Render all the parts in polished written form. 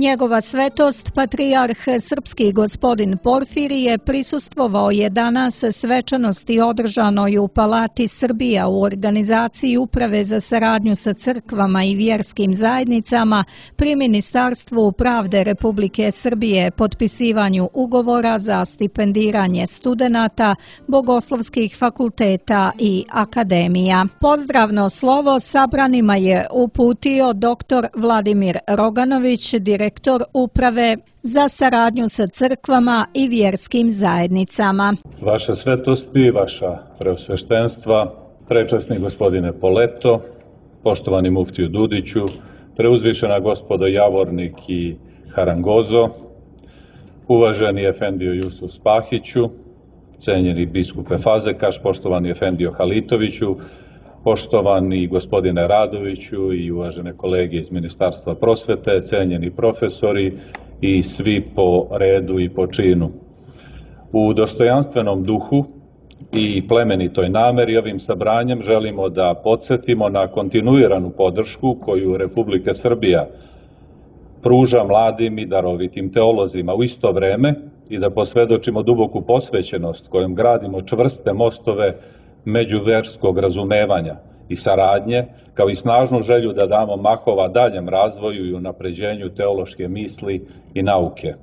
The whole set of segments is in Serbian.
Njegova svetost, patrijarh srpski gospodin Porfirije, prisustvovao je danas svečanosti održanoj u Palati Srbija u organizaciji Uprave za saradnju sa crkvama i vjerskim zajednicama pri Ministarstvu pravde Republike Srbije, potpisivanju ugovora za stipendiranje studenata bogoslovskih fakulteta i akademija. Pozdravno slovo sabranima je uputio dr. Vladimir Roganović, direktor Uprave za saradnju sa crkvama i vjerskim zajednicama. Vaša svetosti, vaša preosveštenstva, prečasni gospodine Poleto, poštovani muftiju Dudiću, preuzvišena gospodo Javornik i Harangozo, uvaženi efendio Jusuf Spahiću, cenjeni biskupe Fazekaš, poštovani efendio Halitoviću, poštovani gospodine Radoviću i uvažene kolege iz Ministarstva prosvete, cenjeni profesori i svi po redu i po činu. U dostojanstvenom duhu i plemenitoj nameri ovim sabranjem želimo da podsjetimo na kontinuiranu podršku koju Republika Srbija pruža mladim i darovitim teolozima u isto vreme i da posvedočimo duboku posvećenost kojom gradimo čvrste mostove međuverskog razumevanja i saradnje, kao i snažnu želju da damo mahova daljem razvoju i unapređenju teološke misli i nauke.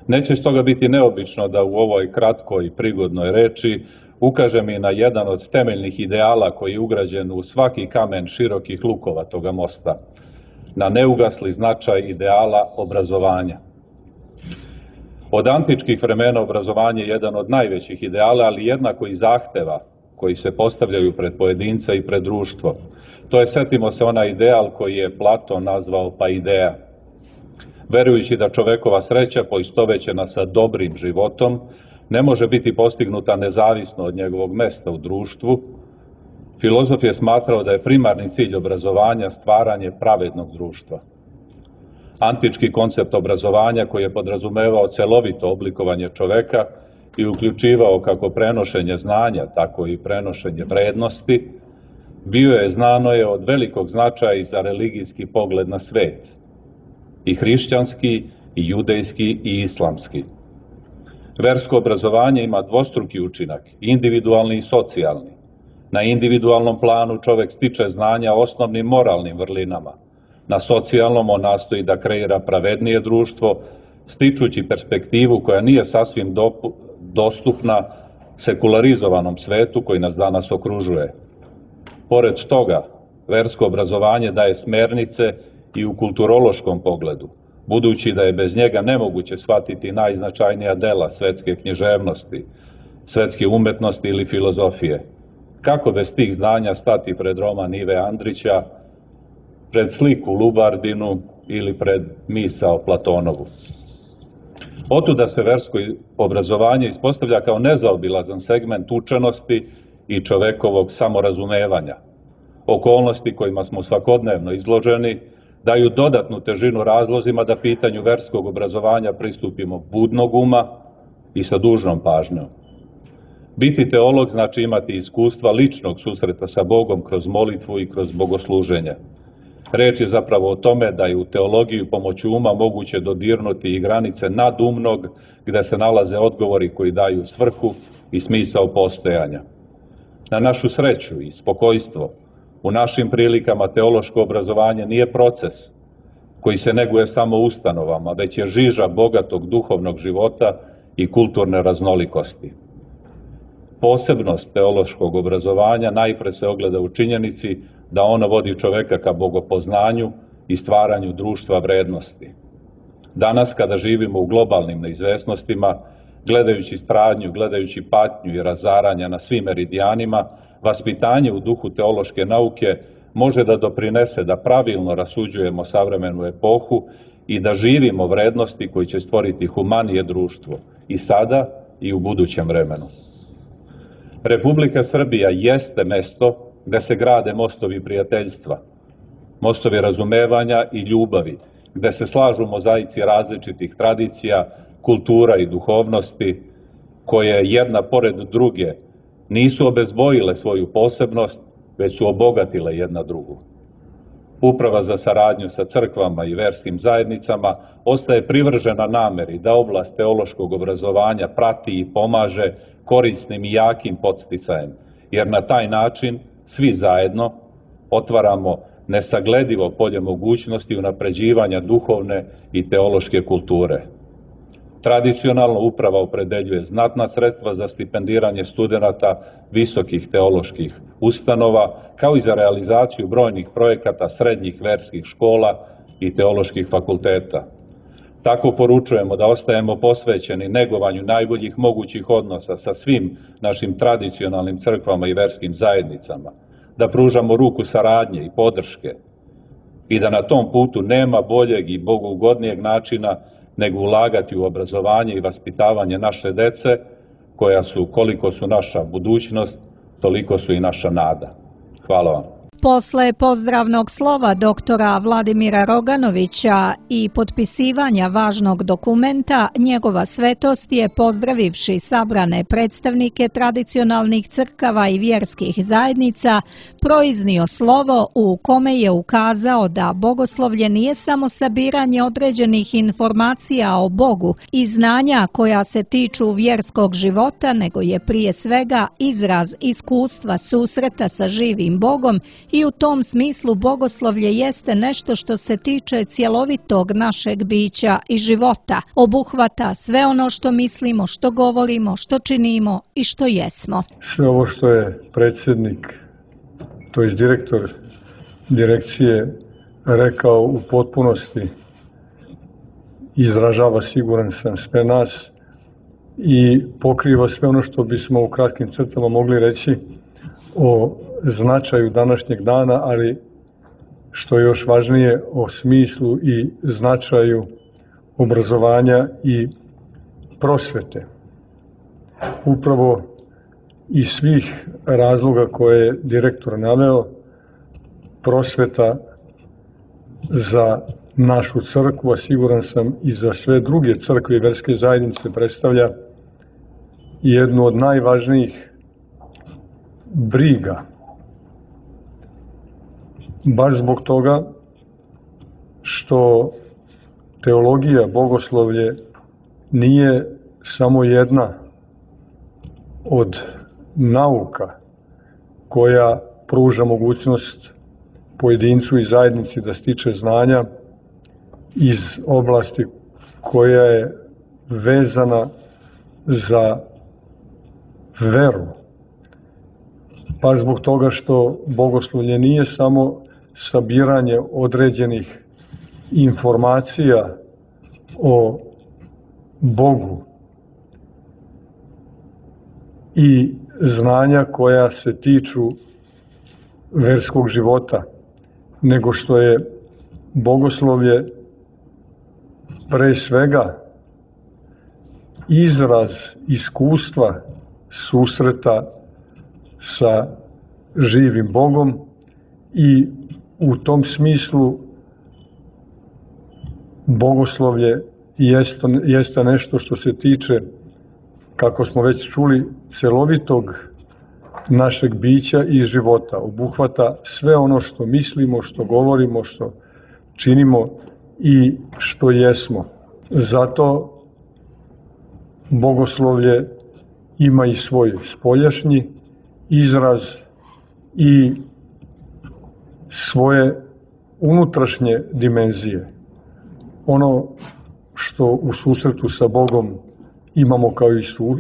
Neće stoga biti neobično da u ovoj kratkoj i prigodnoj reči ukažem i na jedan od temeljnih ideala koji je ugrađen u svaki kamen širokih lukova toga mosta, na neugasli značaj ideala obrazovanja. Od antičkih vremena obrazovanje je jedan od najvećih ideala, ali jednako i zahteva koji se postavljaju pred pojedinca i pred društvo. To je, setimo se, onaj ideal koji je Platon nazvao paideia. Verujući da čovekova sreća, poistovećena sa dobrim životom, ne može biti postignuta nezavisno od njegovog mesta u društvu, filozof je smatrao da je primarni cilj obrazovanja stvaranje pravednog društva. Antički koncept obrazovanja, koji je podrazumevao celovito oblikovanje čoveka i uključivao kako prenošenje znanja, tako i prenošenje vrednosti, bio je, znano je, od velikog značaja i za religijski pogled na svet, i hrišćanski, i judejski, i islamski. Versko obrazovanje ima dvostruki učinak, individualni i socijalni. Na individualnom planu čovek stiče znanja o osnovnim moralnim vrlinama. Na socijalnom on nastoji da kreira pravednije društvo, stičući perspektivu koja nije sasvim dostupna sekularizovanom svetu koji nas danas okružuje. Pored toga, versko obrazovanje daje smernice i u kulturološkom pogledu, budući da je bez njega nemoguće shvatiti najznačajnija dela svetske književnosti, svetske umetnosti ili filozofije. Kako bez tih znanja stati pred roman Ive Andrića, pred sliku Lubardinu ili pred misao Platonovu? Otuda se versko obrazovanje ispostavlja kao nezaobilazan segment učenosti i čovekovog samorazumevanja. Okolnosti kojima smo svakodnevno izloženi daju dodatnu težinu razlozima da pitanju verskog obrazovanja pristupimo budnog uma i sa dužnom pažnjom. Biti teolog znači imati iskustva ličnog susreta sa Bogom kroz molitvu i kroz bogosluženje. Reč je zapravo o tome da je u teologiju pomoću uma moguće dodirnuti i granice nadumnog, gde se nalaze odgovori koji daju svrhu i smisao postojanja. Na našu sreću i spokojstvo, u našim prilikama teološko obrazovanje nije proces koji se neguje samo ustanovama, već je žiža bogatog duhovnog života i kulturne raznolikosti. Posebnost teološkog obrazovanja najpre se ogleda u činjenici da ono vodi čoveka ka bogopoznanju i stvaranju društva vrednosti. Danas, kada živimo u globalnim neizvesnostima, gledajući stradnju, gledajući patnju i razaranja na svim meridijanima, vaspitanje u duhu teološke nauke može da doprinese da pravilno rasuđujemo savremenu epohu i da živimo vrednosti koji će stvoriti humanije društvo i sada i u budućem vremenu. Republika Srbija jeste mesto gde se grade mostovi prijateljstva, mostovi razumevanja i ljubavi, gde se slažu mozaici različitih tradicija, kultura i duhovnosti, koje jedna pored druge nisu obezbojile svoju posebnost, već su obogatile jedna drugu. Uprava za saradnju sa crkvama i verskim zajednicama ostaje privržena nameri da oblast teološkog obrazovanja prati i pomaže korisnim i jakim podsticajem, jer na taj način svi zajedno otvaramo nesagledivo polje mogućnosti unapređivanja duhovne i teološke kulture. Tradicionalno uprava opredeljuje znatna sredstva za stipendiranje studenata visokih teoloških ustanova, kao i za realizaciju brojnih projekata srednjih verskih škola i teoloških fakulteta. Tako poručujemo da ostajemo posvećeni negovanju najboljih mogućih odnosa sa svim našim tradicionalnim crkvama i verskim zajednicama, da pružamo ruku saradnje i podrške i da na tom putu nema boljeg i bogougodnijeg načina nego ulagati u obrazovanje i vaspitavanje naše dece, koja su, koliko su naša budućnost, toliko su i naša nada. Hvala vam. Posle pozdravnog slova doktora Vladimira Roganovića i potpisivanja važnog dokumenta, njegova svetost je, pozdravivši sabrane predstavnike tradicionalnih crkava i vjerskih zajednica, proiznio slovo u kome je ukazao da bogoslovlje nije samo sabiranje određenih informacija o Bogu i znanja koja se tiču vjerskog života, nego je prije svega izraz iskustva susreta sa živim Bogom. I u tom smislu bogoslovlje jeste nešto što se tiče cjelovitog našeg bića i života. Obuhvata sve ono što mislimo, što govorimo, što činimo i što jesmo. Sve ovo što je predsjednik, to je direktor direkcije, rekao u potpunosti izražava, siguran sam, sve nas i pokriva sve ono što bismo u kratkim crtama mogli reći o značaju današnjeg dana, ali što je još važnije, o smislu i značaju obrazovanja i prosvete. Upravo iz svih razloga koje je direktor naveo, prosveta za našu crkvu, a siguran sam i za sve druge crkve i verske zajednice, predstavlja jednu od najvažnijih briga. Baš zbog toga što teologija, bogoslovlje nije samo jedna od nauka koja pruža mogućnost pojedincu i zajednici da stiče znanja iz oblasti koja je vezana za veru. Baš zbog toga što bogoslovlje nije samo sabiranje određenih informacija o Bogu i znanja koja se tiču verskog života, nego što je bogoslovlje pre svega izraz iskustva susreta sa živim Bogom i u tom smislu bogoslovlje jeste nešto što se tiče, kako smo već čuli, celovitog našeg bića i života. Obuhvata sve ono što mislimo, što govorimo, što činimo i što jesmo. Zato bogoslovlje ima i svoj spoljašnji izraz i svoje unutrašnje dimenzije. Ono što u susretu sa Bogom imamo kao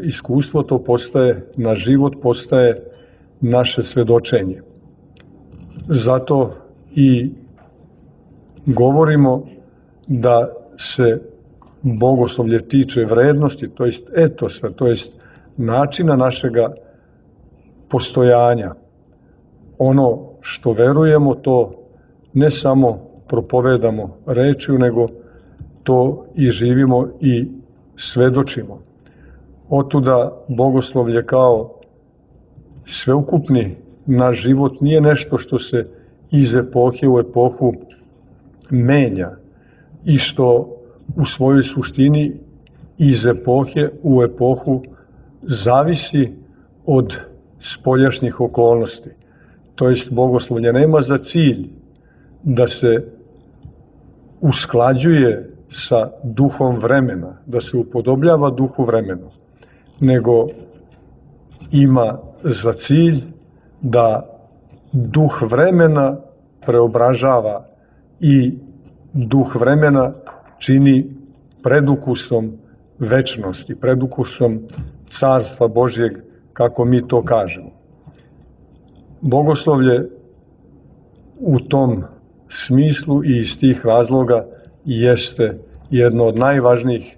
iskustvo, to postaje naš život, postaje naše svedočenje. Zato i govorimo da se bogoslovlje tiče vrednosti, to jest etosa, to jest načina našega postojanja. Ono što verujemo, to ne samo propovedamo rečju, nego to i živimo i svedočimo. Otuda bogoslovlje kao sveukupni naš život nije nešto što se iz epohe u epohu menja i što u svojoj suštini iz epohe u epohu zavisi od spoljašnjih okolnosti. To jest, bogoslovlje nema za cilj da se usklađuje sa duhom vremena, da se upodobljava duhu vremena, nego ima za cilj da duh vremena preobražava i duh vremena čini predukusom večnosti, predukusom Carstva Božjeg, kako mi to kažemo. Bogoslovlje u tom smislu i iz tih razloga jeste jedno od najvažnijih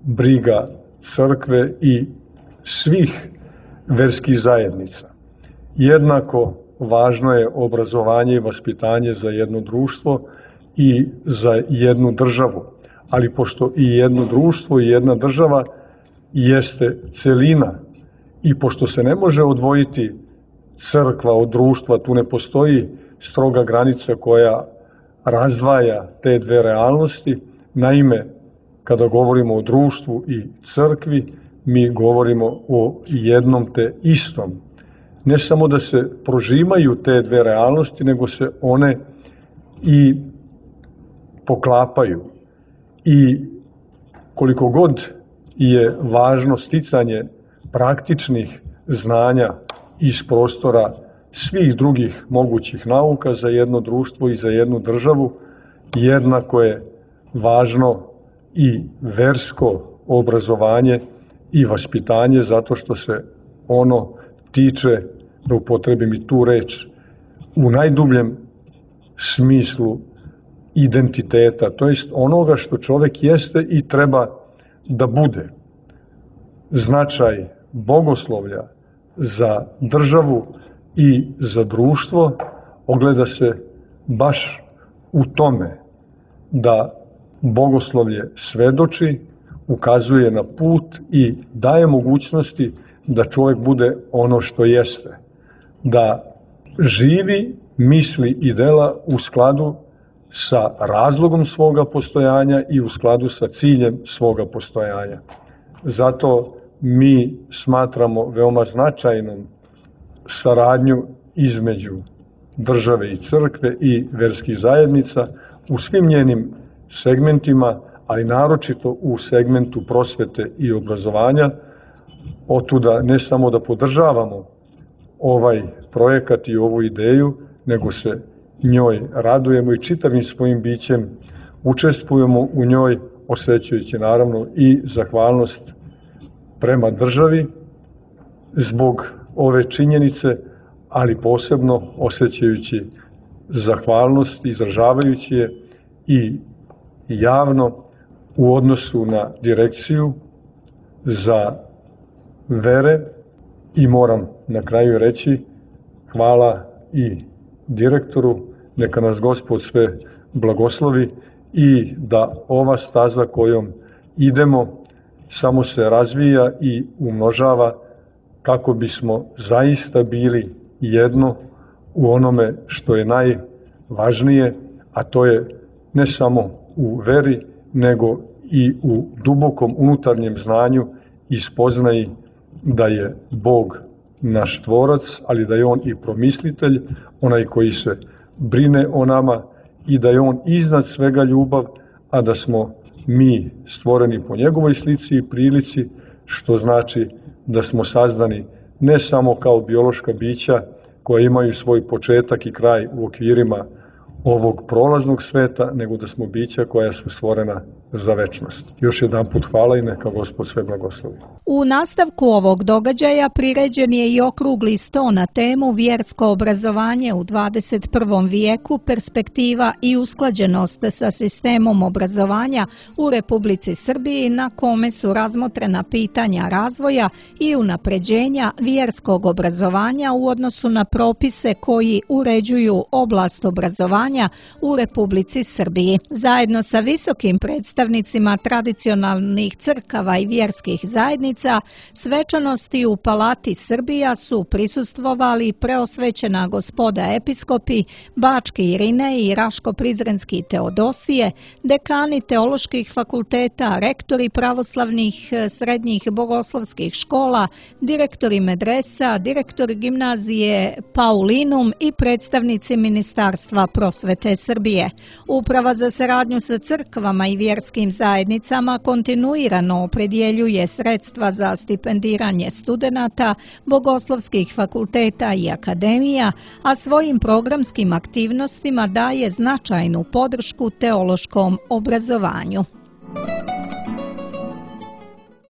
briga crkve i svih verskih zajednica. Jednako važno je obrazovanje i vaspitanje za jedno društvo i za jednu državu. Ali pošto i jedno društvo i jedna država jeste celina i pošto se ne može odvojiti crkva od društva, tu ne postoji stroga granica koja razdvaja te dve realnosti. Naime, kada govorimo o društvu i crkvi, mi govorimo o jednom te istom. Ne samo da se prožimaju te dve realnosti, nego se one i poklapaju. I koliko god je važno sticanje praktičnih znanja iz prostora svih drugih mogućih nauka za jedno društvo i za jednu državu, jednako je važno i versko obrazovanje i vaspitanje, zato što se ono tiče, da upotrebim i tu reč, u najdubljem smislu identiteta, to jest onoga što čovek jeste i treba da bude. Značaj bogoslovlja za državu i za društvo ogleda se baš u tome da bogoslovlje svedoči, ukazuje na put i daje mogućnosti da čovjek bude ono što jeste. Da živi, misli i dela u skladu sa razlogom svoga postojanja i u skladu sa ciljem svoga postojanja. Zato mi smatramo veoma značajnom saradnju između države i crkve i verskih zajednica u svim njenim segmentima, ali naročito u segmentu prosvete i obrazovanja. Otuda ne samo da podržavamo ovaj projekat i ovu ideju, nego se njoj radujemo i čitavim svojim bićem učestvujemo u njoj, osjećajući naravno i zahvalnost prema državi zbog ove činjenice, ali posebno osjećajući zahvalnost, izražavajući je i javno u odnosu na direkciju za vere. I moram na kraju reći hvala i direktoru, neka nas Gospod sve blagoslovi i da ova staza kojom idemo samo se razvija i umnožava kako bismo zaista bili jedno u onome što je najvažnije, a to je ne samo u veri, nego i u dubokom unutarnjem znanju i spoznaji da je Bog naš tvorac, ali da je On i promislitelj, onaj koji se brine o nama i da je On iznad svega ljubav, a da smo mi stvoreni po njegovoj slici i prilici, što znači da smo sazdani ne samo kao biološka bića koja imaju svoj početak i kraj u okvirima ovog prolaznog sveta, nego da smo bića koja su stvorena za večnost. Još jedan put hvala i neka Gospod sve blagoslovi. U nastavku ovog događaja priređen je i okrugli sto na temu Vjersko obrazovanje u 21. vijeku, perspektiva i usklađenost sa sistemom obrazovanja u Republici Srbiji, na kome su razmotrena pitanja razvoja i unapređenja vjerskog obrazovanja u odnosu na propise koji uređuju oblast obrazovanja u Republici Srbiji. Zajedno sa visokim predstavnicima predstavnicima tradicionalnih crkava i vjerskih zajednica, svečanosti u Palati Srbija su prisustvovali preosvećena gospoda episkopi, Bačke Irinej i Raško-Prizrenski Teodosije, dekani teoloških fakulteta, rektori pravoslavnih srednjih bogoslovskih škola, direktori medresa, direktori gimnazije Paulinum i predstavnici Ministarstva prosvete Srbije. Uprava za saradnju sa crkvama i vjerskim zajednicama kontinuirano opredjeljuje sredstva za stipendiranje studenata, bogoslovskih fakulteta i akademija, a svojim programskim aktivnostima daje značajnu podršku teološkom obrazovanju.